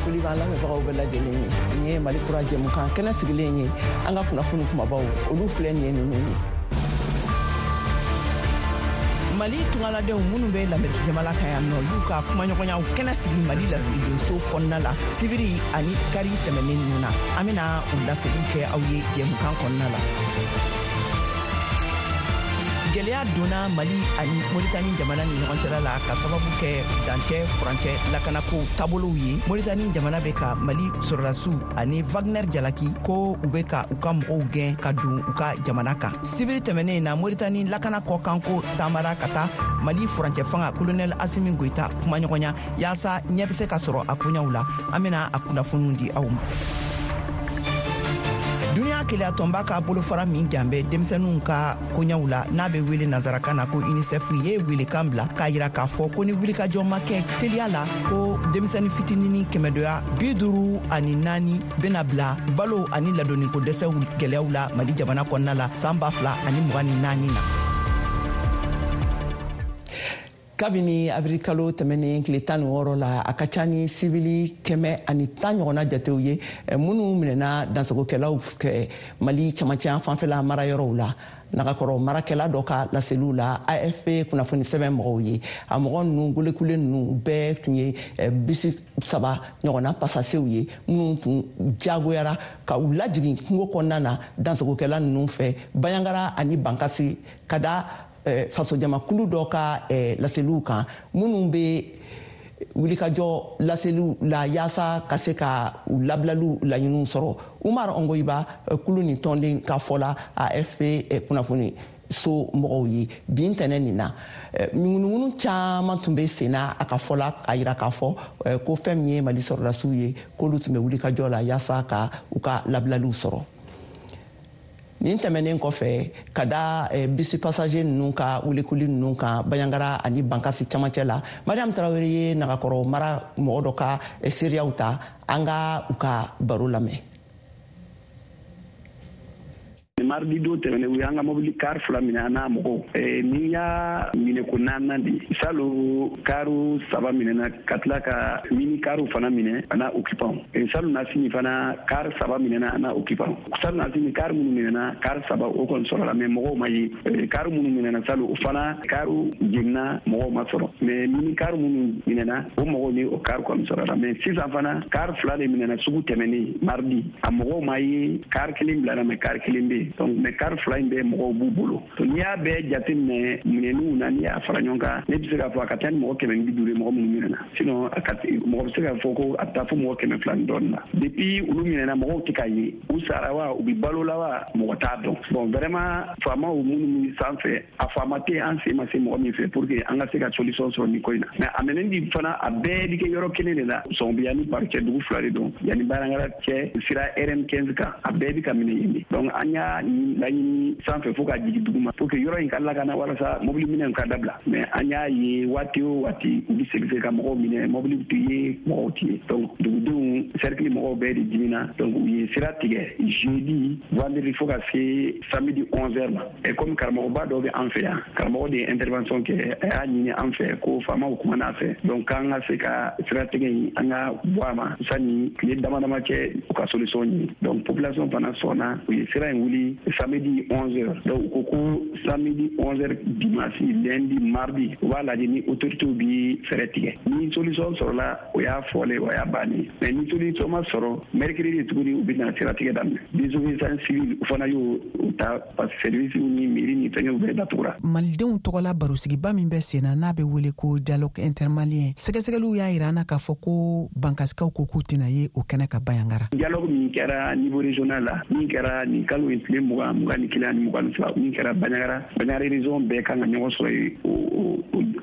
Foli b'an lamɛnbagaw bɛɛ lajɛlen ye. Nin ye Mali Kura jɛmukan kɛnɛ sigilen ye. An ka kunnafoni kumabaw, olu filɛ nin ye ninnu ye. Mali tungaladenw minnu bɛ Lameriki jamana kan yan nɔ, y'u ka kumaɲɔgɔnyaw kɛnɛ sigi Mali lasigidenso kɔnɔna la sibiri ani kari tɛmɛnen ninnu na. An bɛna u laseliw kɛ aw ye jɛmukan kɔnɔna la. Gɛlɛya donna Mali ani Moritani jamana ni ɲɔgɔn cɛla la ka sababu kɛ dancɛ furancɛ lakanako taabolow ye. Moritani jamana bɛ ka Mali sɔrɔdasiw ani Wagner jalaki ko u bɛ ka u ka mɔgɔw gɛn ka don u ka jamana kan. Sibiri tɛmɛnen na, Moritani lakana kɔkanko taamara ka taa Mali furancɛ fanga Kolonɛl Asimi Goyita kumaɲɔgɔnya yaasa ɲɛ bɛ se ka sɔrɔ a koɲaw la. An bɛna a kunnafoniw di aw ma. Duniɲa kelenyatɔnba ka bolofara min jan bɛ denmisɛnninw ka koɲaw la, n'a bɛ wele nansarakan na ko UNICEF, ye welekan bila k'a yira k'a fɔ ko ni wulikajɔ ma kɛ teliya la, ko denmisɛnnin fitinini kɛmɛdoya 54 bena bila balo ani ladonniko dɛsɛw gɛlɛyaw la Mali jamana kɔnɔna la san 2024 na. Kabini avril kalo tɛmɛnen tile 16 la, a ka ca ni sivili 110 ɲɔgɔnna jatew ye minnu minɛna dansagokɛlaw kɛ Mali camancɛ fanfɛla marayɔrɔw la. Nagakɔrɔ marakɛla dɔ ka laseliw la AFP kunnafoni sɛbɛn mɔgɔw ye, a mɔgɔ ninnu golekule ninnu bɛɛ tun ye bisi saba ɲɔgɔnna pasasew ye minnu tun jagoyara ka u lajigin kungo kɔnɔna na dansagokɛla ninnu fɛ Baɲangara ani Bankasi, ka da fasojamakulu dɔ ka laseliw kan minnu bɛ wulikajɔ laseliw la yaasa ka se ka u labilaliw laɲiniw sɔrɔ. Umar Ongoyiba, kulu ni tɔnden ka fɔ la AFP kunnafoni so mɔgɔw ye bin tɛnɛ nin na, ŋunuŋunu caman tun bɛ sen na. A ka fɔ la, a yira k'a fɔ ko fɛn min ye Mali sɔrɔdasiw ye, k'olu tun bɛ wulikajɔ la yaasa ka u ka labilaliw sɔrɔ. Nin tɛmɛnen kɔfɛ, ka da bisi passager ninnu ka wulikuli ninnu kan Baɲangara ani Bankasi camancɛ la, Mariam Tarawele ye Nagakɔrɔ mara mɔgɔ dɔ ka seereyaw ta. An ka u ka baro lamɛn. Mardi don tɛmɛnen, u y'an ka mobili car fila minɛ an n'a mɔgɔw. Nin y'a minɛ ko naaninan de. Salo, kariw saba minɛna ka tila ka mini kariw fana minɛ a n'a occupant. Salo na sini fana, car saba minɛna a n'a occupant. Salo na sini, car minnu minɛna, car saba o kɔni sɔrɔla, mais mɔgɔw ma ye. Car minnu minɛna salo, o fana kariw jenina, mɔgɔw ma sɔrɔ, mais mini car minnu minɛna, o mɔgɔw ni o car kɔni sɔrɔla. Mais sisan fana, car fila de minɛna sugu tɛmɛnen mardi, a mɔgɔw ma ye. Car kelen bilala, mais car kelen bɛ yen. Donc, mais car fila in bɛɛ mɔgɔw b'u bolo. Donc n'i y'a bɛɛ jateminɛ minɛniw na, n'i y'a fara ɲɔgɔn kan, ne bɛ se k'a fɔ a ka ca ni mɔgɔ 150 ye mɔgɔ minnu minɛna. Sinon a ka mɔgɔ bɛ se k'a fɔ ko a bɛ taa fo mɔgɔ 200 ni dɔɔnin na. Depuis olu minɛna, mɔgɔw tɛ ka ye. U sara wa, u bɛ balo la wa, mɔgɔ t'a dɔn. Bon, vraiment, faamaw minnu bɛ sanfɛ, a faama tɛ an sen ma se mɔgɔ min fɛ pour que an ka se ka solution sɔrɔ nin ko in na. Mais a minɛni fana, a bɛɛ bɛ kɛ yɔrɔ kelen de la, Sɔnbiya ni Bari cɛ, dugu fila de don, yanni Baɲangara cɛ, sira RN 15 kan, a bɛɛ bɛ ka minɛ yen de. Donc an y'a laɲini sanfɛ fo ka jigin dugu ma pour que yɔrɔ in ka lakana, walasa mobili minɛw ka dabila. Mais an y'a ye, waati o waati, u bɛ segin ka mɔgɔw minɛ, mobili tɛ ye, mɔgɔw tɛ ye. Donc dugudenw, cercle mɔgɔw bɛɛ de dimina. Donc u ye sira tigɛ jeudi, vendredi, fo ka se samedi 11 heures ma. Et comme karamɔgɔba dɔ bɛ an fɛ yan, karamɔgɔ de ye intervention kɛ, a y'a ɲini an fɛ ko faamaw kumana a fɛ, donc k'an ka se ka siratigɛ in, an ka bɔ a ma sani tile dama dama cɛ, u ka solution ɲini. Donc population fana sɔnna, u ye sira in wuli samedi 11 heures. Donc u ko ko samedi 11 heures, dimanche, lundi, mardi, u b'a lajɛ ni autorités bi fɛɛrɛ tigɛ. Ni solution sɔrɔla, o y'a fɔlen, o y'a bannen. Mais ni solution ma sɔrɔ, mercredi tuguni, u bɛna siratigɛ daminɛ. Désobéissance civile, u fana y'o ta parce que service ni mairie ni fɛngɛw bɛɛ datugura. Malidenw tɔgɔla barosigiba min bɛ sen na, n'a bɛ wele ko dialogue intermalien, sɛgɛsɛgɛliw y'a yira an na k'a fɔ ko Bankasikaw ko k'u tɛna ye o kɛnɛ ka Baɲangara. Dialogue min kɛra niveau régional la, min kɛra nin kalo in tile 20, 21 ani 22, min kɛra Baɲangara, Baɲangara région bɛɛ kan ka ɲɔgɔn sɔrɔ yen o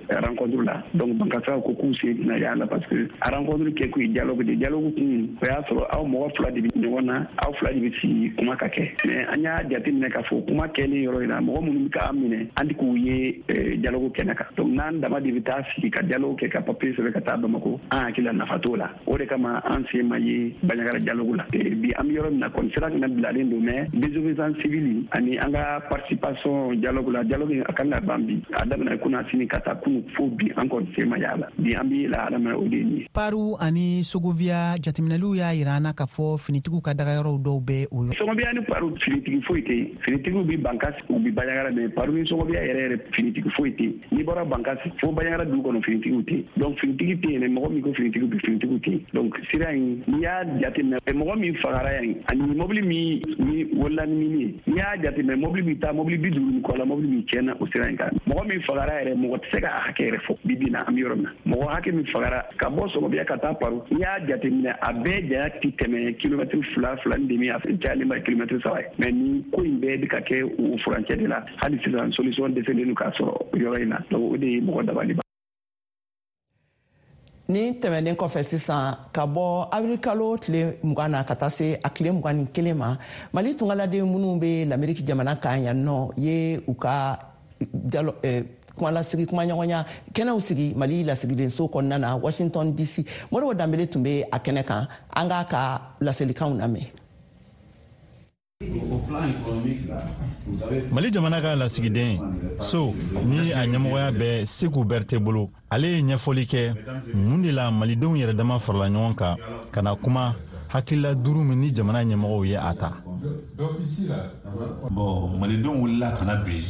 rencontre la. Donc Bankasikaw ko k'u sen tɛna y'a la parce que a rencontre kɛ kun ye dialogue de. Dialogue kun, o y'a sɔrɔ aw mɔgɔ fila de bɛ ɲɔgɔn na, aw fila de bɛ sigi kuma ka kɛ. Mais an y'a jateminɛ k'a fɔ kuma kɛlen yɔrɔ in na, mɔgɔ minnu bɛ k'an minɛ, an tɛ k'u ye dialogue kɛnɛ kan. Donc n'an dama de bɛ taa sigi ka dialogue kɛ, ka papier sɛbɛn ka taa Bamako, an hakili la nafa t'o la. O de kama an sen ma ye Baɲagara dialogue la. Bi an bɛ yɔrɔ min na kɔni, sira kana bilalen don, mais désobéissance civil ani an ka participation dialogue la. Dialogue a kan ka ban bi, a daminɛ kunasini ka taa kunu fo bi, an kɔni sen ma y'a la. Bi an bɛ lahala min na, o de ye nin ye. Paru ani Sogoviya, jateminɛliw y'a yira an na k'a fɔ finitigiw ka dagayɔrɔw dɔw bɛ o yɔrɔ. Sogoviya ni Paru, finitigi foyi tɛ yen. Finitigiw bɛ Bankasi, u bɛ Banjagara, mais Paru ni Sogoviya yɛrɛ yɛrɛ, finitigi foyi tɛ yen. N'i bɔra Bankasi fo Banjagara dugu kɔnɔ, finitigiw tɛ yen. Donc finitigi tɛ yen dɛ. Mɔgɔ min ko finitigiw bɛ, finitigiw tɛ yen. Donc sira in, n'i y'a jateminɛ, mɔgɔ min fagara yan ani mobili min ni wolola ni mini ye, n'i y'a jateminɛ, mobili bɛ taa mobili 50 ni kɔ la, mobili min tiɲɛna o sira in kan, mɔgɔ min fagara yɛrɛ, mɔgɔ tɛ se k'a hakɛ yɛrɛ fɔ. Bi bi na, an bɛ yɔrɔ min na, mɔgɔ hakɛ min fagara ka bɔ Sɔgɔbiya ka taa Paru, n'i y'a jateminɛ, a bɛɛ janya tɛ tɛmɛ kilomɛtiri 2, 2.5, a cayalen ba kilomɛtiri 3 ye. Mais ni ko in bɛɛ bɛ ka kɛ o furancɛ de la, hali sisan solution dɛsɛlen don k'a sɔrɔ yɔrɔ in na. Donc o de ye mɔgɔ dabali ban. Ni tɛmɛnen kɔfɛ sisan, ka bɔ awirili kalo tile 20 na ka taa se a tile 21 ma, Mali tungaladen minnu bɛ Lameriki jamana kan yan nɔ ye u ka kumalasigi, kumaɲɔgɔnya kɛnɛw sigi Mali lasigidenso kɔnɔna na Washington DC. Modibo Danbele tun bɛ a kɛnɛ kan, an k'a ka laselikanw lamɛn. Mali jamana ka lasigiden so ni a ɲɛmɔgɔya bɛ Seku Bɛrite bolo, ale ye ɲɛfɔli kɛ mun de la malidenw yɛrɛ dama farala ɲɔgɔn kan ka na kuma hakilila duuru min ni jamana ɲɛmɔgɔw ye a ta. Bon, malidenw wulila ka na bi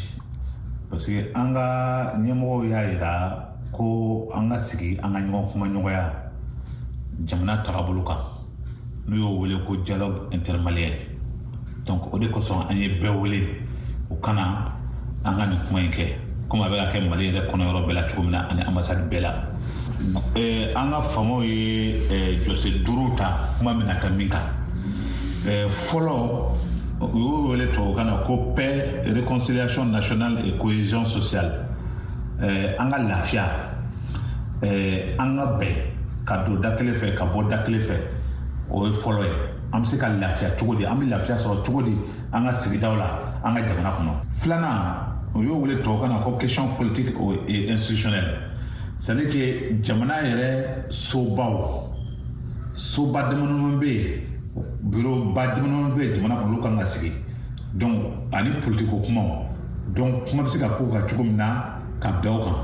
parce que an ka ɲɛmɔgɔw y'a yira ko an ka sigi, an ka ɲɔgɔn kuma ɲɔgɔnya jamana tagabolo kan, n'u y'o wele ko dialogue intermalien. Donc o de kosɔn an ye bɛɛ wele u kana an ka nin kuma in kɛ, komi a bɛ ka kɛ Mali yɛrɛ kɔnɔ yɔrɔ bɛɛ la cogo min na ani ambassade bɛɛ la. An ka faamaw ye jɔsen duuru ta kuma min na ka min kan, fɔlɔ, u y'o wele tubabukan na ko paix, réconciliation nationale et cohésion sociale. An ka lafiya, an ka bɛn ka don da kelen fɛ ka bɔ da kelen fɛ, o ye fɔlɔ ye. An bɛ se ka lafiya cogo di? An bɛ lafiya sɔrɔ cogo di an ka sigidaw la, an ka jamana kɔnɔ? Filanan, o y'o wele tubabukan na ko question politique et institutionnelle, c'est à dire que jamana yɛrɛ sobaw, soba damadama bɛ yen, bureau ba damadama bɛ yen jamana kɔnɔ, olu kan ka sigi. Donc ani politiko kumaw, donc kuma bɛ se ka k'o kan cogo min na ka bɛn o kan.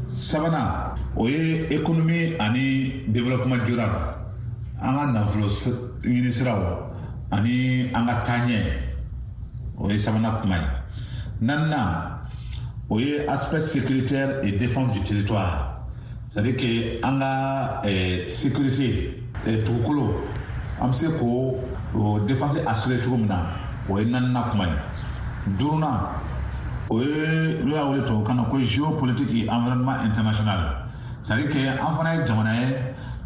Sabanan, o ye économie ani développement durable, an ka nafolo ɲini siraw ani an ka taaɲɛ, o ye sabanan kuma ye. Naaninan, o ye aspect sécuritaire et défense du territoire, c'est à dire que an ka sécurité dugukolo, an bɛ se k'o défense assurer cogo min na, o ye naaninan kuma ye. Duurunan, o ye n'o y'a wele tubabukan na ko géopolitique et environnement international, c'est à dire que an fana ye jamana ye,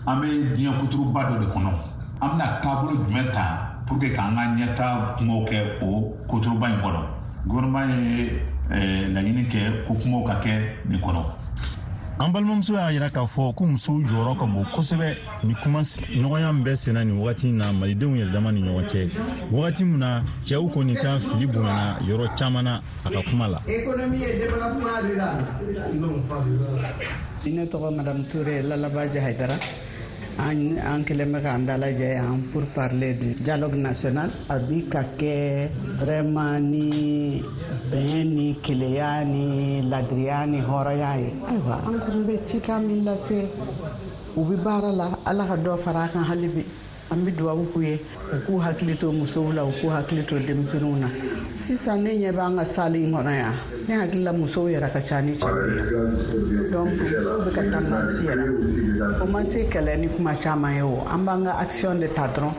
an bɛ diɲɛ kuturuba dɔ de kɔnɔ. An bɛna taabolo jumɛn ta pour que k'an ka ɲɛta kumaw kɛ o kuturuba in kɔnɔ? Gouvernement ye laɲini kɛ ko kumaw ka kɛ nin kɔnɔ. An balimamuso y'a yira k'a fɔ ko musow jɔyɔrɔ ka bon kosɛbɛ ni kuma ɲɔgɔnya min bɛ senna nin wagati in na malidenw yɛrɛ dama ni ɲɔgɔn cɛ, wagati min na cɛw kɔni ka fili bonyana yɔrɔ caman na, a ka kuma la. Ne tɔgɔ Madame Touré Lalabaji Haidara. An kɛlen bɛ k'an dalajɛ yan pour parler du dialogue national. A bi ka kɛ vraiment ni bɛn ni keleya ni ladiriya ni hɔrɔnya ye. Ayiwa, an kɔni bɛ cikan min lase, u bɛ baara la, Ala ka dɔ fara a kan hali bi. An bɛ dugawu k'u ye, u k'u hakili to musow la, u k'u hakili to denmisɛnninw na. Sisan ne ɲɛ b'an ka salle in kɔnɔ yan, ne hakili la musow yɛrɛ ka ca ni cɛw ye. Donc musow bɛ ka tendance yɛlɛ. O ma se kɛlɛ ni kuma caman ye o, an b'an ka action de ta dɔrɔn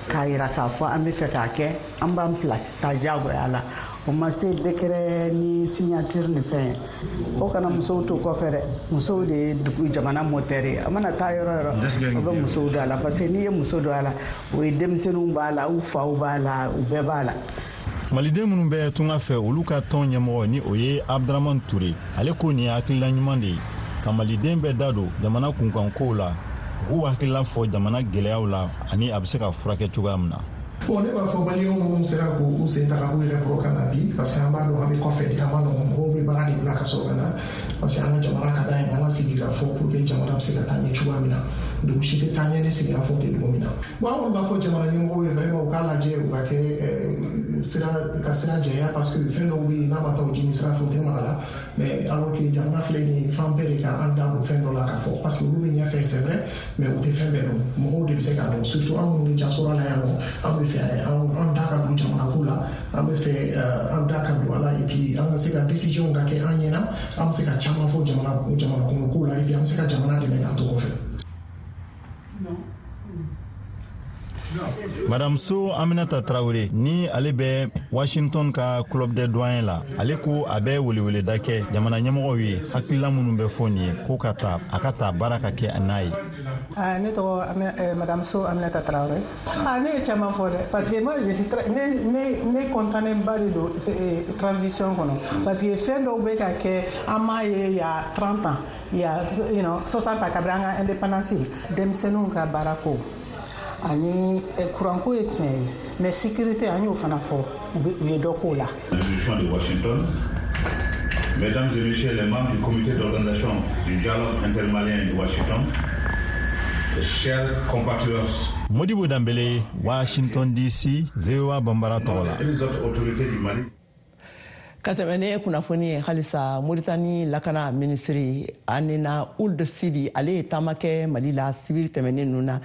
k'a yira k'a fɔ an bɛ fɛ k'a kɛ, an b'an place ta diyagoya la. O ma se décret ni signature ni fɛn ye. O kana musow to kɔfɛ dɛ, musow de ye dugu jamana moteur ye. A mana taa yɔrɔ yɔrɔ, o bɛ musow don a la, parce que n'i ye muso don a la, o ye denmisɛnninw b'a la, u faw b'a la, u bɛɛ b'a la. Maliden minnu bɛ tunga fɛ, olu ka tɔn ɲɛmɔgɔ ni o ye Abdramane Touré, ale ko nin ye hakilila ɲuman de ye ka maliden bɛɛ da don jamana kunkankow la, u k'u hakilila fɔ jamana gɛlɛyaw la ani a bɛ se ka furakɛ cogoya min na. Bon, ne b'a fɔ maliyɛnw minnu sera k'u sen ta ka k'u yɛrɛ kɔrɔ ka na bi, parce que an b'a dɔn an bɛ kɔfɛ de, a ma nɔgɔn, mɔgɔw bɛ baara de bila ka sɔrɔ ka na, parce que an ka jamana ka d'an ye, an ka sigi ka fɔ pour que jamana bɛ se ka taa ɲɛ cogoya min na. Dugu si tɛ taa ɲɛ ni sigikafɔ tɛ dugu min na. Bon, an kɔni b'a fɔ jamana ɲɛmɔgɔw ye vraiment u k'a lajɛ, u ka kɛ sira ka sira jɛya, parce que fɛn dɔw bɛ yen, n'a ma taa o jini sira fɛ, o tɛ maga la. Mais alors que jamana filɛ nin ye, fan bɛɛ de ka an da don fɛn dɔ la k'a fɔ, parce que olu bɛ ɲɛfɛ, c'est vrai, mais u tɛ fɛn bɛɛ dɔn. Mɔgɔw de bɛ se k'a dɔn, surtout an minnu bɛ diaspora la yan nɔ. An bɛ fɛ an da ka don jamana ko la, an bɛ fɛ an da ka don a la, et puis an ka se ka décision ka kɛ an ɲɛna, an bɛ se ka caman fɔ jamana kɔnɔ ko la, et puis an bɛ se ka jamana dɛmɛ k'an to kɔfɛ. Madame So Aminata Traoré, ni ale bɛ Washington ka Club des Doyens la, ale ko a bɛ weleweleda kɛ jamana ɲɛmɔgɔw ye, hakilila minnu bɛ fɔ nin ye, ko ka ta a ka ta baara ka kɛ n'a ye. Ne tɔgɔ Madame So Aminata Traoré. Ne ye caman fɔ dɛ, parce que moi je suis très, ne content ba de don transition kɔnɔ, parce que fɛn dɔw bɛ ka kɛ, an m'a ye il y a 30 ans, il y a 60 ans, kabini an ka indépendance. Denmisɛnninw ka baara ko ani kuranko ye tiɲɛ ye, mais sécurité, an y'o fana fɔ, u ye dɔ k'o la. De Washington, mesdames et messieurs les membres du comité d'organisation du dialogue intermalien de Washington, chers compatriotes. Modibo Dambele, Washington DC, VOA Bambara tɔgɔ la. Les autres autorités du Mali. Ka tɛmɛ ne kunnafoni ye halisa, Moritani lakana minisiri Anena Ould Sidi, ale ye taama kɛ Mali la sibiri tɛmɛnen ninnu na,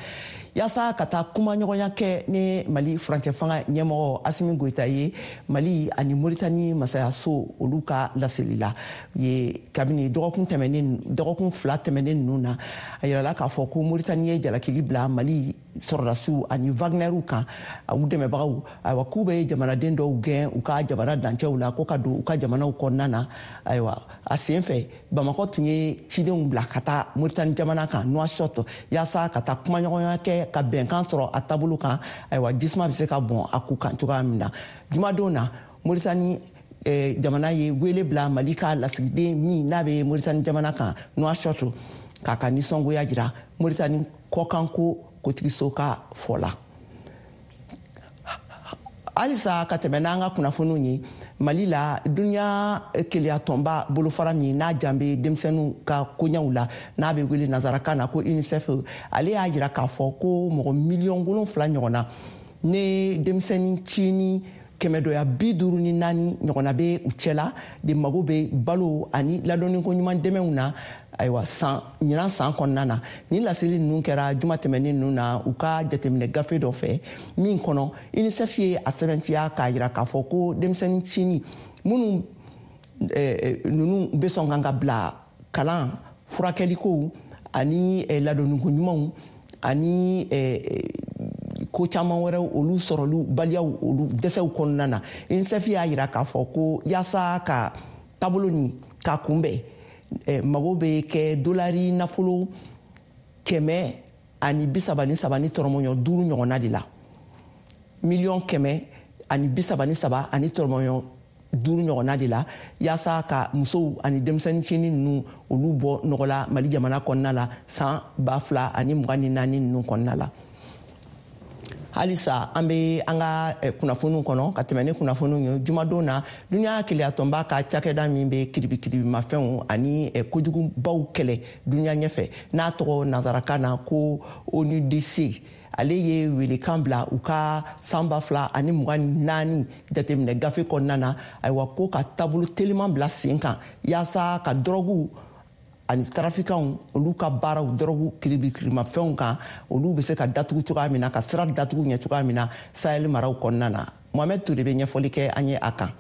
yaasa ka taa kumaɲɔgɔnya kɛ ni Mali furancɛ fanga ɲɛmɔgɔ Asimi Goyita ye. Mali ani Moritani masayaso olu ka laseli la ye, kabini dɔgɔkun 2 tɛmɛnen ninnu na, a yirala k'a fɔ ko Moritani ye jalakili bila Mali sɔrɔdasiw ani Wagnerw kan, u dɛmɛbagaw, ayiwa, k'u bɛ jamanaden dɔw gɛn u ka jamana dancɛw la ko ka don u ka jamanaw kɔnɔna na. Ayiwa, a sen fɛ, Bamakɔ tun ye cidenw bila ka taa Moritani jamana kan, Nouakchott, yaasa ka taa kumaɲɔgɔnya kɛ ka bɛnkan sɔrɔ a taabolo kan, ayiwa, jisuma bɛ se ka bɔn a ku kan cogoya min na. Jumadon na, Moritani jamana ye wele bila Mali ka lasigiden min n'a bɛ Moritani jamana kan Nouakchott, k'a ka nisɔngoya jira, Moritani kɔkanko kotigiso ka fɔ la. Halisa ka tɛmɛ n'an ka kunnafoniw ye, Mali la, duniya keleyatɔnba bolofara min n'a jan bɛ denmisɛnninw ka koɲɛw la, n'a bɛ wele nansarakan na ko UNICEF, ale y'a jira k'a fɔ ko mɔgɔ 7 miliyɔn ɲɔgɔnna ne denmisɛnnin cini 154 ɲɔgɔnna bɛ u cɛla de mago bɛ balo ani ladɔnniko ɲuman dɛmɛw na, ayiwa, san ɲinan san kɔnɔna na. Nin laseli ninnu kɛra juma tɛmɛnen ninnu na, u ka jateminɛ gafe dɔ fɛ min kɔnɔ, UNICEF ye a sɛbɛntiya k'a jira k'a fɔ ko denmisɛnnin cini minnu ninnu bɛ sɔn kan ka bila kalan, furakɛlikow ani ladonniko ɲumanw ani ko caman wɛrɛw, olu sɔrɔlu baliyaw, olu dɛsɛw kɔnɔna na. UNICEF y'a jira k'a fɔ ko yaasa ka taabolo nin k'a kunbɛn, mago bɛ kɛ dolari nafolo 133.5 ɲɔgɔnna de la, 133.5 miliyɔn ɲɔgɔnna de la, yaasa ka musow ani denmisɛnnin cinin ninnu olu bɔ nɔgɔ la Mali jamana kɔnɔna la san 2024 ninnu kɔnɔna la. Halisa an bɛ an ka kunnafoniw kɔnɔ. Ka tɛmɛ ni kunnafoniw ye, jumadon na, duniya keleyatɔnba ka cakɛda min bɛ kiribikiribimafɛnw ani kojugubaw kɛlɛ duniya ɲɛfɛ, n'a tɔgɔ nansarakan na ko ONUDC, ale ye welekan bila u ka san 2024 jateminɛ gafe kɔnɔna na, ayiwa, ko ka taabolo teliman bila sen kan yaasa ka dɔrɔguw ani tarafikanw olu ka baaraw dɔrɔgu kiribikiribimafɛnw kan, olu bɛ se ka datugu cogoya min na, ka sira datugu ɲɛ cogoya min na Sahel maraw kɔnɔna na. Mohamɛd Ture bɛ ɲɛfɔli kɛ an ye a kan.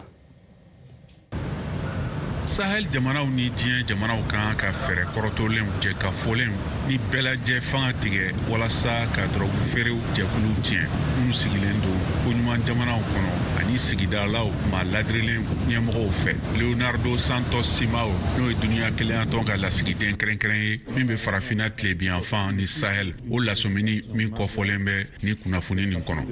Sahel jamanaw ni diɲɛ jamanaw kan ka fɛɛrɛ kɔrɔtɔlenw, jɛkafɔlenw ni bɛɛlajɛ fanga tigɛ walasa ka dɔrɔgu feerew jɛkuluw tiɲɛ minnu sigilen don koɲuman jamanaw kɔnɔ ani sigidalaw maa ladirilen ɲɛmɔgɔw fɛ. Leonardo Santos Simao, n'o ye duniɲa kelenyatɔn ka lasigiden kɛrɛnkɛrɛn ye min bɛ Farafinna tilebiyanfan ni Sahel, o lasɔmini min kɔfɔlen bɛ ni kunnafoni nin kɔnɔ,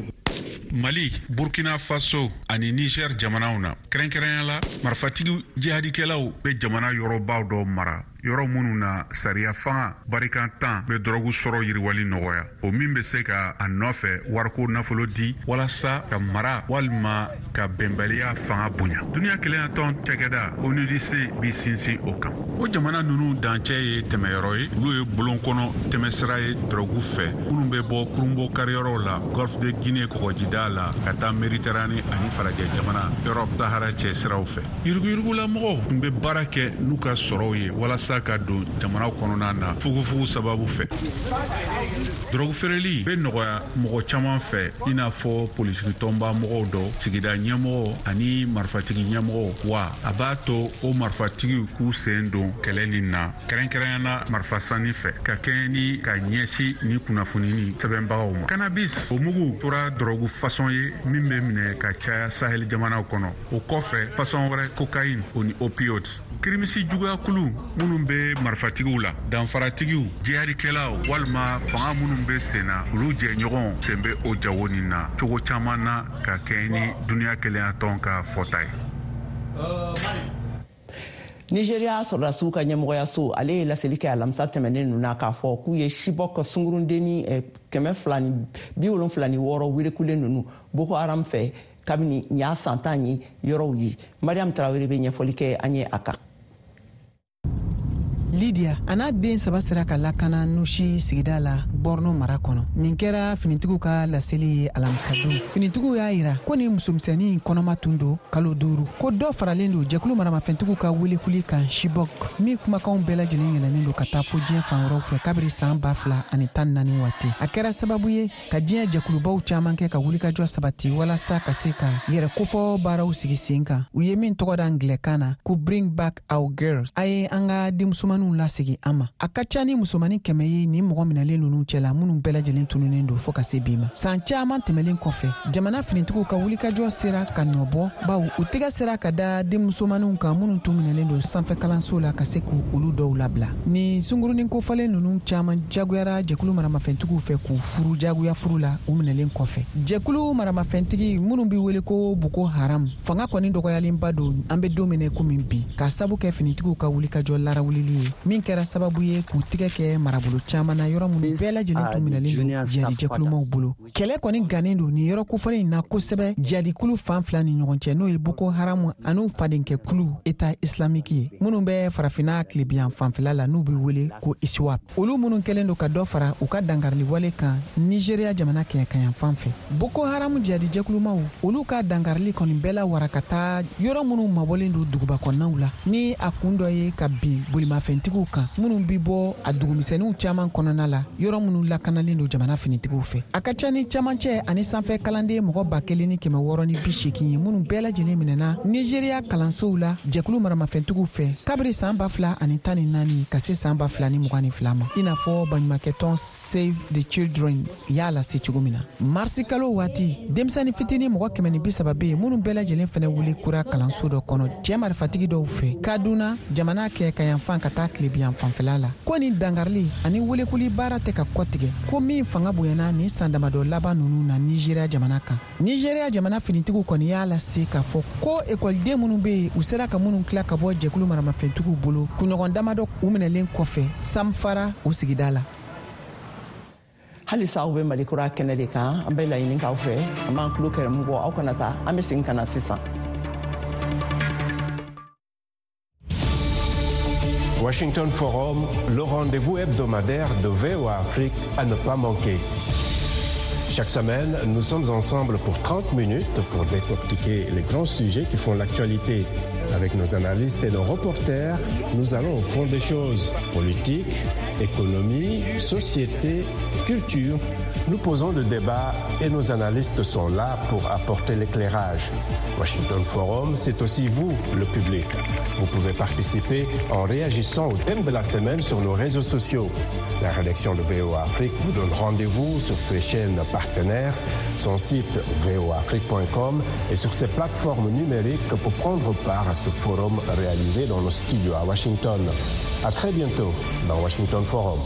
Mali, Burkina Faso ani Niger jamanaw na kɛrɛnkɛrɛnya la, marifatigi jihadikɛlaw bɛ jamana yɔrɔbaw dɔ mara. Yɔrɔ minnu na sariya fanga barikantan bɛ dɔrɔgu sɔrɔ yiriwali nɔgɔya, o min bɛ se ka a nɔfɛ wariko nafolo di walasa ka mara walima ka bɛnbaliya fanga bonya. Duniya kelenyatɔn cakɛda ONUDC bi sinsin o kan. O jamana ninnu dancɛ ye tɛmɛyɔrɔ ye, olu ye bolon kɔnɔ tɛmɛsira ye dɔrɔgu fɛ minnu bɛ bɔ kurunbɔ kariyɔrɔw la Golfe de Guinée kɔgɔjida la ka taa Méditerranée ani farajɛ jamana Europe Sahara cɛ siraw fɛ. Yuruguyurugulamɔgɔw tun bɛ baara kɛ n'u ka sɔrɔw ye walasa ka don jamanaw kɔnɔna na fugufugu sababu fɛ. Dɔrɔgu feereli bɛ nɔgɔya mɔgɔ caman fɛ, i n'a fɔ politikitɔnba mɔgɔw dɔ, sigida ɲɛmɔgɔw ani marifatigi ɲɛmɔgɔw, wa a b'a to o marifatigiw k'u sen don kɛlɛ nin na, kɛrɛnkɛrɛnya na marifasanni fɛ, ka kɛɲɛ ni ka ɲɛsin ni kunnafoni ni sɛbɛnbagaw ma. Cannabis o mugu tora dɔrɔgu fasɔn ye min bɛ minɛ ka caya Sahel jamanaw kɔnɔ. O kɔfɛ, fasɔn wɛrɛ, cocaïne o ni opioids. Kirimisi juguyakulu minnu bɛ marifatigiw la, danfaratigiw, jihadikɛlaw walima fanga minnu bɛ sen na, olu jɛɲɔgɔnw sen bɛ o jago nin na cogo caman na ka kɛɲɛ ni duniya kelenyatɔn ka fɔta ye. Nigeria sɔrɔdasiw ka ɲɛmɔgɔyaso, ale ye laseli kɛ alamisa tɛmɛnen ninnu na k'a fɔ k'u ye Chibok sungurundenni 276 welekulen ninnu Boko Haram fɛ kabini nin y'a san 10 ye yɔrɔw ye. Mariam Tarawele bɛ ɲɛfɔli kɛ an ye a kan. Lydia a n'a den 3 sera ka lakana Nushi sigida la Borno mara kɔnɔ. Nin kɛra finitigiw ka laseli ye alamisadon. Finitigiw y'a yira ko nin musomisɛnnin kɔnɔma tun don kalo 5, ko dɔ faralen don jɛkulu maramafɛntigiw ka welekuli kan Chibok, min kumakanw bɛɛ lajɛlen yɛlɛnnen don ka taa fo diɲɛ fan wɛrɛw fɛ kabiri san 2014 waati. A kɛra sababu ye ka diɲɛ jɛkulubaw caman kɛ ka wulikajɔ sabati walasa ka se ka yɛrɛ kofɔ baaraw sigi sen kan, u ye min tɔgɔ da angilɛkan na ko Bring Back Our Girls, a ye an ka denmusomaninw lasegi an ma. A ka ca ni musomanin 100 ye nin mɔgɔ minɛlen ninnu cɛla, minnu bɛɛ lajɛlen tununnen don fɔɔ ka se bi ma. San caaman tɛmɛlen kɔfɛ, jamana finitigiw ka wulikajɔ sera ka nɔbɔ, baw u tɛgɛ sera ka da denmusomaninw kan minnu tun minɛlen don sanfɛ kalanso la, ka se k'u olu dɔw labila. Nin sungurunin kofɔlen ninnu caaman jagoyara jɛkulu maramafɛntigiw fɛ k'u furu jagoya furu la u minɛlen kɔfɛ. Jɛkulu maramafɛntigi minnu bɛ wele ko Boko Haram fanga kɔni dɔgɔyalenba don an bɛ don min na komi bi, k'a sabu kɛ finitigiw ka wulikajɔ larawulili ye min kɛra sababu ye k'u tigɛ kɛ marabolo caman na, yɔrɔ minnu bɛɛ lajɛlen tun minɛlen don jihadi jɛkulumaw bolo. Kɛlɛ kɔni gannen don nin yɔrɔ kofɔlen in na kosɛbɛ jihadikulu fan fila ni ɲɔgɔn cɛ, n'o ye Boko Haram an'u fadenkɛkulu État islamique ye, minnu bɛ farafinna tilebiyan fanfɛla la, n'u bɛ wele ko ISWAP, olu minnu kɛlen don ka dɔ fara u ka dankariliwale kan Nigeria jamana kɛɲɛkayan fan fɛ. Boko Haram jihadi jɛkulumaw, olu ka dankarili kɔni bɛɛ la wara ka taa yɔrɔ minnu mabɔlen don duguba kɔnɔnaw la, ni a kun dɔ ye ka bin bolimafɛntigiw kan minnu bi bɔ a dugumisɛnninw caman kɔnɔna la, yɔrɔ minnu lakanalen don jamana finitigiw fɛ. A ka ca ni camancɛ ani sanfɛ kalanden mɔgɔ 1680 ye minnu bɛɛ lajɛlen minɛna Nigeria kalansow la jɛkulu maramafɛntigiw fɛ kabiri san 2014 ka se san 2022 ma, i n'a fɔ baɲumankɛtɔn Save the Children y'a lase cogo min na. Marisi kalo waati, denmisɛnnin fitinin mɔgɔ 130 bɛ yen minnu bɛɛ lajɛlen fɛnɛ wuli kura kalanso dɔ kɔnɔ cɛɛ marifatigi dɔw fɛ Kaduna jamana kɛ kayanfan ka taa tilebiyan fanfɛla la. Ko nin dankarili ani welekuli baara tɛ ka kɔtigɛ, ko min fanga bonyana nin san damadɔ laban ninnu na Nigeria jamana kan. Nigeria jamana finitigiw kɔni y'a lase k'a fɔ ko ekɔliden minnu bɛ yen, u sera ka minnu tila ka bɔ jɛkulu maramafɛntigiw bolo kunɲɔgɔn damadɔ u minɛlen kɔfɛ Samfara o sigida la. Halisa aw bɛ Mali Kura kɛnɛ de kan. An bɛ laɲini k'aw fɛ, an b'an tulo kɛrɛmu bɔ, aw kana taa, an bɛ segin ka na sisan. Washington Forum, le rendez-vous hebdomadaire de VOA Afrique à ne pas manquer. Chaque semaine, nous sommes ensemble pour 30 minutes pour décortiquer les grands sujets qui font l'actualité. Avec nos analystes et nos reporters, nous allons au fond des choses. Politique, économie, société, culture. Nous posons le débat et nos analystes sont là pour apporter l'éclairage. Washington Forum, c'est aussi vous, le public. Vous pouvez participer en réagissant au thème de la semaine sur nos réseaux sociaux. La rédaction de VOA Afrique vous donne rendez-vous sur ses chaînes partenaires, son site voaafrique.com et sur ses plateformes numériques pour prendre part à ce forum réalisé dans nos studios à Washington. À très bientôt dans Washington Forum.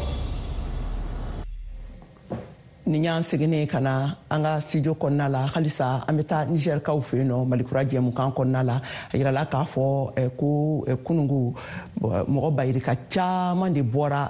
Nin y'an seginnen ka na an ka studio kɔnɔna la. Halisa an bɛ taa nizɛrikaw fɛ yen nɔ, Malikura jɛmukan kɔnɔna la. A yirala k'a fɔ ko kunungu mɔgɔ bayirika caman de bɔra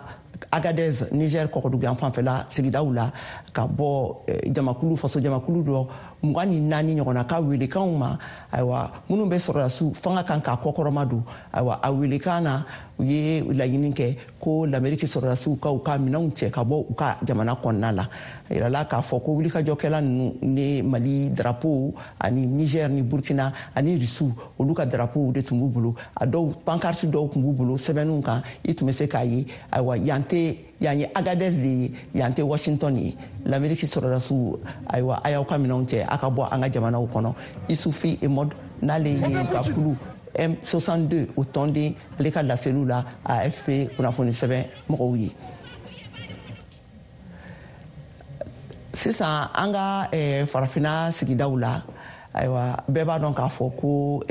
Agadez, Niger kɔkɔduguyan fanfɛla sigidaw la, ka bɔ jamakulu, faso jamakulu dɔ 24 ɲɔgɔnna ka welekanw ma. Ayiwa, minnu bɛ sɔrɔdasiw fanga kan k'a kɔkɔrɔma don, ayiwa, a welekan na, u ye laɲini kɛ ko Lameriki sɔrɔdasiw ka u ka minɛnw cɛ ka bɔ u ka jamana kɔnɔna la. A yirala k'a fɔ ko wulikajɔkɛla ninnu ni Mali drapeau ani Niger ni Burkina ani Rusiw, olu ka drapeau de tun b'u bolo. A dɔw pancarte dɔw tun b'u bolo sɛbɛnniw kan, i tun bɛ se k'a ye. Ayiwa, yan tɛ, yan ye Agadez de ye, yan tɛ Washington ye. Lameriki sɔrɔdasiw, ayiwa, a y'aw ka minɛnw cɛ, a ka bɔ an ka jamanaw kɔnɔ. Isufi Emod, n'ale ye ka kulu M62 o tɔnden, ale ka laseliw la AFP kunnafoni sɛbɛn mɔgɔw ye. Sisan an ka farafinna sigidaw la, ayiwa, bɛɛ b'a dɔn k'a fɔ ko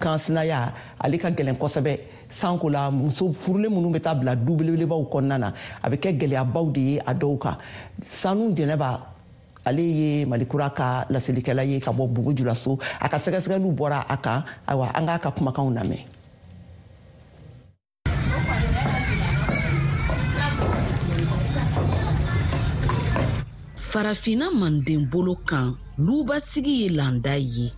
kansinaya ale ka gɛlɛn kosɛbɛ, sanko la muso furulen minnu bɛ taa bila du belebelebaw kɔnɔna na, a bɛ kɛ gɛlɛyabaw de ye a dɔw kan. Sanu Jɛnɛba, ale ye Malikura ka laselikɛla ye ka bɔ Bobo Julaso. A ka sɛgɛsɛgɛliw bɔra a kan. Ayiwa, an k'a ka kumakanw lamɛn. Farafinna manden bolo kan, lubasigi ye landa ye.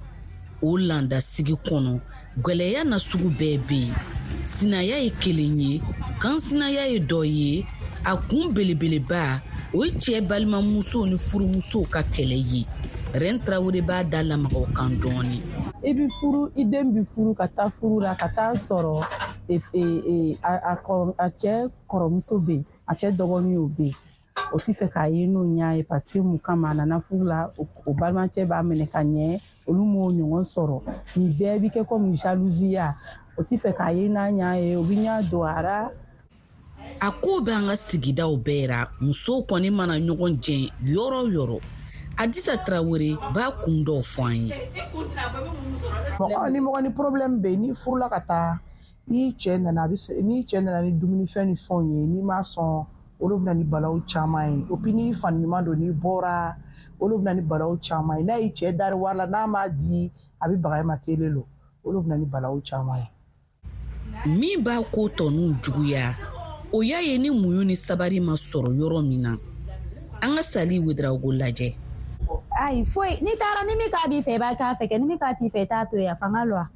O landa sigi kɔnɔ, gwɛlɛya na sugu bɛɛ bɛ yen. Sinaya ye kelen ye, kansinaya ye dɔ ye. A kun belebeleba, o ye cɛɛ balimamusow ni furumusow ka kɛlɛ ye. Rɛn Tarawele b'a da lamaga o kan dɔɔni. I bi furu, i den bi furu ka taa furu la, ka taa sɔrɔ a cɛ kɔrɔmuso bɛ yen, a cɛ dɔgɔnin o bɛ yen. O ti fɛ k'a ye n'o ɲa ye, parce que mun kama a nana furu la, o balimacɛ b'a minɛ ka ɲɛ, olu m'o ɲɔgɔn sɔrɔ. Nin bɛɛ bi kɛ komi jalousie, o ti fɛ k'a ye n'a ɲa ye, o bi ɲa don a ra. A ko bɛ an ka sigidaw bɛɛ ra, musow kɔni mana ɲɔgɔn jɛn yɔrɔ o yɔrɔ. Adisa Tarawele b'a kun dɔw fɔ an ye. Mɔgɔ ni mɔgɔ ni problème bɛ yen, n'i furula ka taa, n'i cɛ nana, n'i cɛ nana ni dumunifɛn ni fɛnw ye, n'i ma sɔn, olu bɛ na ni balawu caman ye. O puis n'i fani ɲuman don, n'i bɔra, olu bɛ na ni balawu caman ye. N'a y'i cɛ dari wari la, n'a m'a di, a bɛ baga e ma kelen lo, olu bɛ na ni balawu caman ye. Min b'a ko tɔninw juguya, o y'a ye ni muɲu ni sabari ma sɔrɔ yɔrɔ min na. An ka Sali Wedarawogo lajɛ. Ayi, foyi, n'i taara ni min k'a b'i fɛ, i b'a k'a fɛ kɛ, ni min k'a t'i fɛ, i t'a to yen, a fanga lɔ.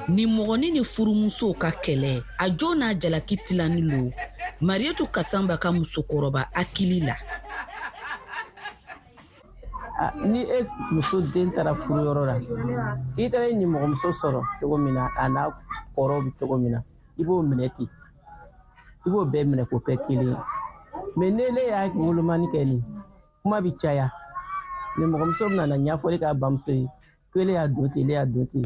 Ni mɔgɔnin ni furumusow ka kɛlɛ, a jo n'a jalaki tilani lo Marietu Kasanba ka musokɔrɔba hakili la. Ni e muso den taara furuyɔrɔ la, i taara i nimɔgɔmuso sɔrɔ cogo min na, a n'a kɔrɔ bɛ cogo min na, i b'o minɛ ten, i b'o bɛɛ minɛ k'o kɛ kelen ye. Mais ne y'a wolomani kɛ nin, kuma bɛ caya. Nimɔgɔmuso bɛna na ɲɛfɔli k'a bamuso ye ko ele y'a don ten, ele y'a don ten.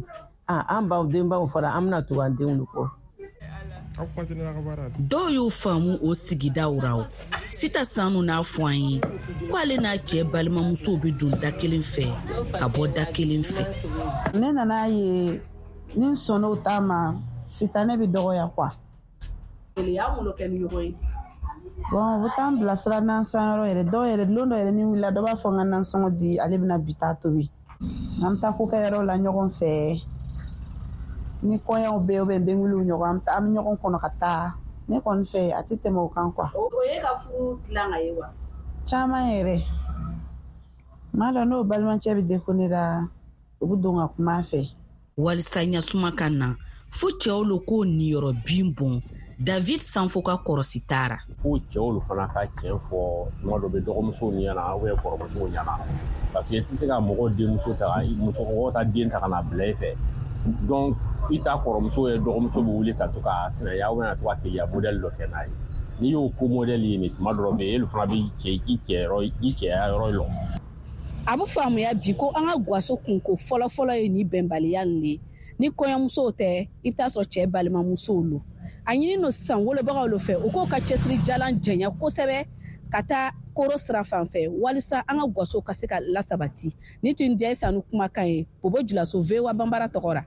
An baw denbaw fara, an bɛna tugu an denw de kɔ. Dɔw y'o faamu o sigidaw ra o. Sita Sanu n'a fɔ an ye ko ale n'a cɛ balimamusow bɛ don da kelen fɛ ka bɔ da kelen fɛ. Ne nana ye ni n sɔnn'o ta ma, sitanɛ bɛ dɔgɔya quoi. Bon, u bɛ taa n bilasira nansanyɔrɔ yɛrɛ, dɔw yɛrɛ, lon dɔ yɛrɛ ni wulila, dɔ b'a fɔ n ka nansɔngɔ di, ale bɛna bi taa tobi. An bɛ taa kokɛyɔrɔ la ɲɔgɔn fɛ. Ni kɔɲɔw bɛ yen, ou bien denkuliw ɲɔgɔn, an bɛ ɲɔgɔn kɔnɔ ka taa. Ne kɔni fɛ, a tɛ tɛmɛ o kan quoi. O ye ka furu dilan ka ye wa? Caman yɛrɛ. N m'a dɔn n'o balimacɛ bɛ déconner la, u bɛ don ka kuma a fɛ. Walisa ɲasuma ka na, fo cɛw lo k'o niyɔrɔ bin bɔn. David Sanfo ka kɔrɔsi taara. Fo cɛw lo fana ka tiɲɛ fɔ tuma dɔ bɛ dɔgɔmusow ɲɛna ou bien kɔrɔmusow ɲɛna, parce que i tɛ se ka mɔgɔ denmuso ta, musokɔrɔbaw ta den ta ka na bila i fɛ. Donc i ta kɔrɔmuso ye dɔgɔmuso bɛ wuli ka to ka sinaya ou bien ka to ka keleya modèle dɔ kɛ n'a ye. N'i y'o ko modèle ye nin tuma dɔ bɛ yen, olu fana bɛ cɛ i cɛ i cɛya yɔrɔ lɔ. A bɛ faamuya bi ko an ka gaso kunko fɔlɔfɔlɔ ye nin bɛnbaliya nin de ye. Ni kɔɲɔmusow tɛ, i bɛ taa sɔrɔ cɛ balimamusow lo. A ɲini no sisan wolobagaw lo fɛ, u k'o ka cɛsiri jalan jɛnya kosɛbɛ ka taa koro sira fan fɛ, walisa an ka gaso ka se ka lasabati. Ni tun jɛ Sanu kumakan ye, Bobo Julaso, VOA Banbara tɔgɔ ra.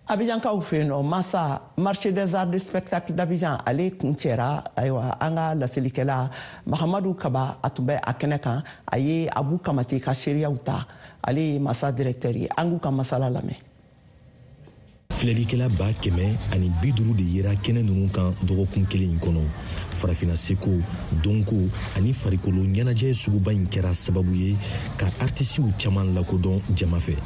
Abidjankaw fɛ yen nɔ, Masa, marché des arts de spectacle d'Abidjan, ale kuncɛra. Ayiwa, an ka laselikɛla Mahamadu Kaba, a tun bɛ a kɛnɛ kan. A ye Abu Kamate ka seereyaw ta, ale ye Masa directeur ye. An k'u ka masala lamɛn. Filɛlikɛla 150 de yera kɛnɛ ninnu kan dɔgɔkun kelen in kɔnɔ. Farafina seko, dɔnko ani farikolo ɲɛnajɛ suguba in kɛra sababu ye ka artisiw caman lakodɔn jama fɛ.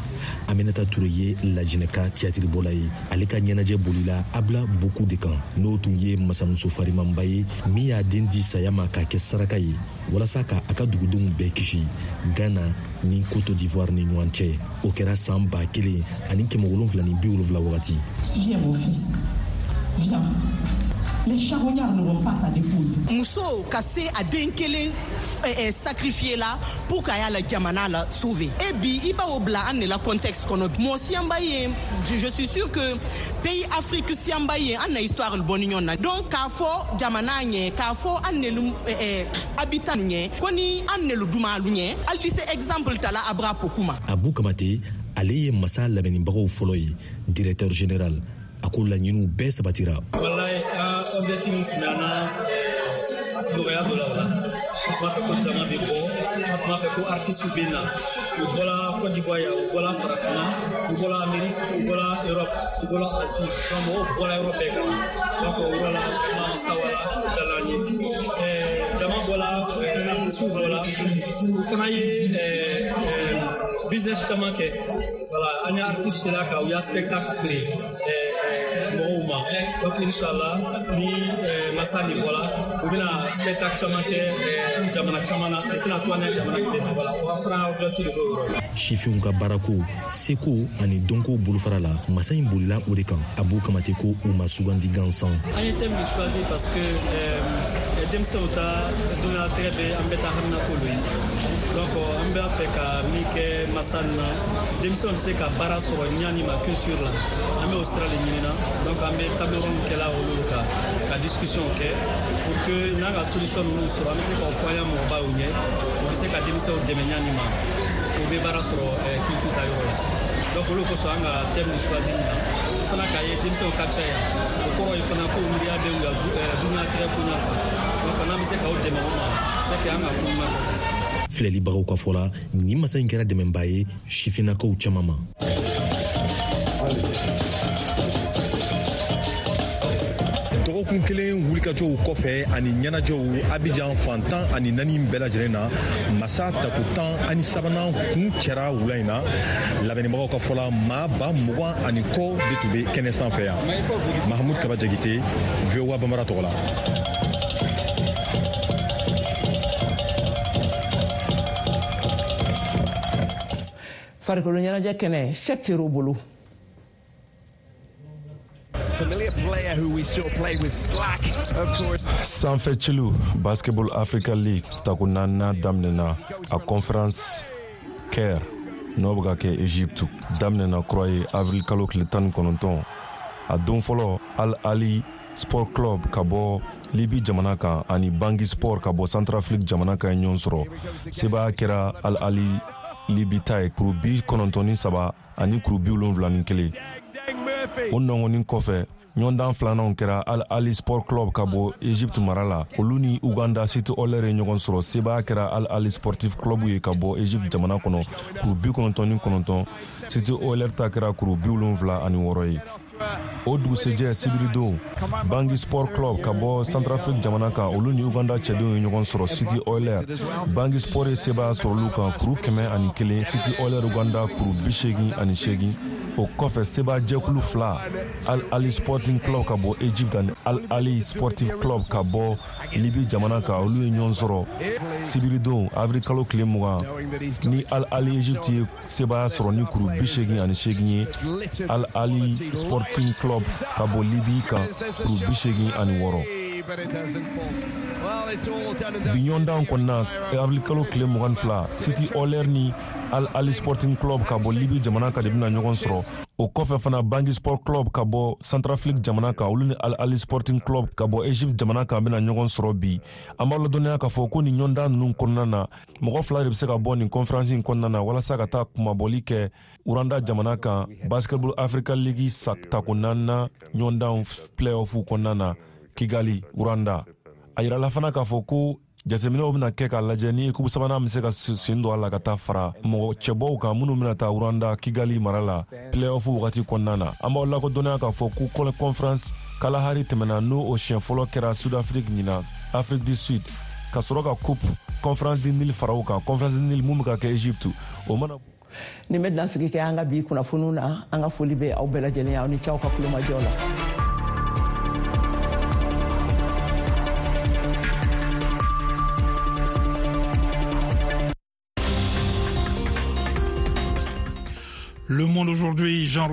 Aminata Ture ye Lajinɛka tiyatiribɔla ye. Ale ka ɲɛnajɛ bolila Abla Boku de kan, n'o tun ye masamuso farimanba ye min y'a den di saya ma k'a kɛ saraka ye walasa ka a ka dugudenw bɛɛ kisi Ghana ni Cote d'Ivoire ni ɲɔgɔn cɛ. O kɛra san 1770 wagati. Viens, mon fils, viens. Les charognards n'auront pas ta dépouille. Muso ka se a den kelen sacrifier la pour k'a y'a la jamana la sauver. Et bi i b'o bila an de la contexte kɔnɔ, mɔgɔ siyanba ye, je suis sûr que pays Afrique siyanba ye, an na histoire bɔ ni ɲɔgɔn na. Donc k'a fɔ jamana ɲɛ, k'a fɔ an nelu habitant ɲɛ ko ni an nelu dumalu ɲɛ, hali di se exemple ta la Abra Pokou ma. Abu Kamate, ale ye Masa labɛnnibagaw fɔlɔ ye, directeur général. A ko laɲiniw bɛɛ sabatira. Walayi, an objectif min tun bɛ an na, nɔgɔya dɔ la o la. An tun b'a fɛ ko jama bɛ bɔ, an tun b'a fɛ ko artistes bɛ na. U bɔla Côte d'Ivoire yan, u bɔla Farafinna, u bɔla Amérique, u bɔla Europe, u bɔla Asie. Donc mɔgɔw bɔla yɔrɔ bɛɛ kan. Donc o yɔrɔ la, vraiment sawara, o diyara an ye. Jama bɔla, artistes bɔla, u fana ye business caman kɛ. Voilà, an ye artistes sera ka u y'a spectacle feere mɔgɔw ma. Donc inshallah, ni Masa nin bɔla, u bɛna spectacle caman kɛ jamana caman na. U tɛna to an ka jamana kelen na. Voilà, o fana objectif de b'o yɔrɔ la. Sifinw ka baarako, seko ani dɔnko bolofara la, Masa in bolila o de kan. Abu Kamate ko u ma sugandi gansan. An ye thème choisi parce que denmisɛnw ta dunyatigɛ bɛ an bɛɛ ta haminako lo ye. Donc an b'a fɛ ka min kɛ Masa nin na, denmisɛnw bɛ se ka baara sɔrɔ ɲani ma culture la, an bɛ o sira de ɲinina. Donc an bɛ table ronde kɛla olu kan ka discussion kɛ pour que n'an ka solution ninnu sɔrɔ, an bɛ se k'o fɔ an ya mɔgɔbaw ɲɛ, u bɛ se ka denmisɛnw dɛmɛ ɲani ma, u bɛ baara sɔrɔ culture ta yɔrɔ la. Donc olu kosɔn an ka thème nin choisi nin na fana, k'a ye denmisɛnw ka ca yan, o kɔrɔ ye fana ko miiriya bɛ u ya dunyatigɛ ko ɲɛ kan. Donc n'an bɛ se k'aw dɛmɛ o ma, c'est que an ka ko ɲuman kɛ. Filɛlibagaw ka fɔ la, nin masa in kɛra dɛmɛba ye sifinnakaw caman ma. Dɔgɔkun kelen wulikajɔw kɔfɛ ani ɲɛnajɛw Abijan fan 14 bɛɛ lajɛlen na, Masa tako 13nan kun cɛra wula in na. Labɛnnibagaw ka fɔ la, maa 20,000 ani kɔ de tun bɛ kɛnɛ sanfɛ yan. Mahamud Kaba Jagite, VOA Bambara tɔgɔ la. Farikolo ɲɛnajɛ kɛnɛ, Sɛk Tero bolo. Familiar player who we saw play with Slack, of course. Sanfɛ celu Basketball Africa League tako naaninan daminɛna. A conférence Caire, n'o bɛ ka kɛ Egypte, daminɛna kura ye avril kalo tile 19. A don fɔlɔ, Al Ali Sport Club ka bɔ Libi jamana kan ani Bangi Sport ka bɔ Centrafrique jamana kan ye ɲɔgɔn sɔrɔ. Sebaya kɛra Al Ali Libi ta ye, kuru 93 ani kuru 71. O nɔngɔnni kɔfɛ, ɲɔgɔndan filananw kɛra. Al Ali Sport Club ka bɔ Egypte mara la, olu ni Uganda City Oilers ye ɲɔgɔn sɔrɔ. Sebaya kɛra Al Ali Sportif Club ye ka bɔ Egypte jamana kɔnɔ, kuru 99. City Oilers ta kɛra kuru 76 ye. O dugusɛjɛ sibiridon, Bangi Sport Club ka bɔ Centrafrique jamana kan, olu ni Uganda cɛdenw ye ɲɔgɔn sɔrɔ City Oilers. Bangi Sport ye sebaya sɔrɔ olu kan, kuru 101, City Oilers Uganda kuru 88. O kɔfɛ, seba jɛkulu fila, Al Ali Sporting Club ka bɔ Egypte ani Al Ali Sportif Club ka bɔ Libi jamana kan, olu ye ɲɔgɔn sɔrɔ sibiridon avril kalo tile 20, ni Al Ali Egypte ye sebaya sɔrɔ ni kuru 88 ye Al Ali Sporting Club ka bɔ Libi kan, kuru 86. Bi ɲɔgɔndan kɔnɔna, avril kalo tile 22, City Oilers ni Al Ahly Sporting Club ka bɔ Libi jamana kan de bɛna ɲɔgɔn sɔrɔ. O kɔfɛ fana, Bangui Sport Club ka bɔ Centrafrique jamana kan, olu ni Al Ahly Sporting Club ka bɔ Egypte jamana kan bɛna ɲɔgɔn sɔrɔ bi. An b'aw ladɔnniya k'a fɔ ko nin ɲɔgɔndan ninnu kɔnɔna na, mɔgɔ fila de bɛ se ka bɔ nin conférence in kɔnɔna na walasa ka taa kunmabɔli kɛ Rwanda jamana kan Basketball Africa League tako naaninan ɲɔgɔndan playoff kɔnɔna na Kigali, Rwanda. A yirala fana k'a fɔ ko jateminɛw bɛna kɛ k'a lajɛ ni ekipu sabanan bɛ se ka sen don a la ka taa fara mɔgɔ cɛbɔw kan minnu bɛna taa Rwanda Kigali mara la playoff wagati kɔnɔna na. An b'aw lakodɔnniya k'a fɔ ko Conference Kalahari tɛmɛna, n'o o siɲɛ fɔlɔ kɛra Sud Afrique, ɲinan Afrique du Sud, ka sɔrɔ ka Coupe Conférence du Nil fara o kan, Conférence du Nil mun bɛ ka kɛ Egypte. O mana Nin bɛ dansigi kɛ an ka bi kunnafoniw na. An ka foli bɛ aw bɛɛ lajɛlen, aw ni ce aw ka kulomajɔ la. Le Monde aujourd'hui, Jean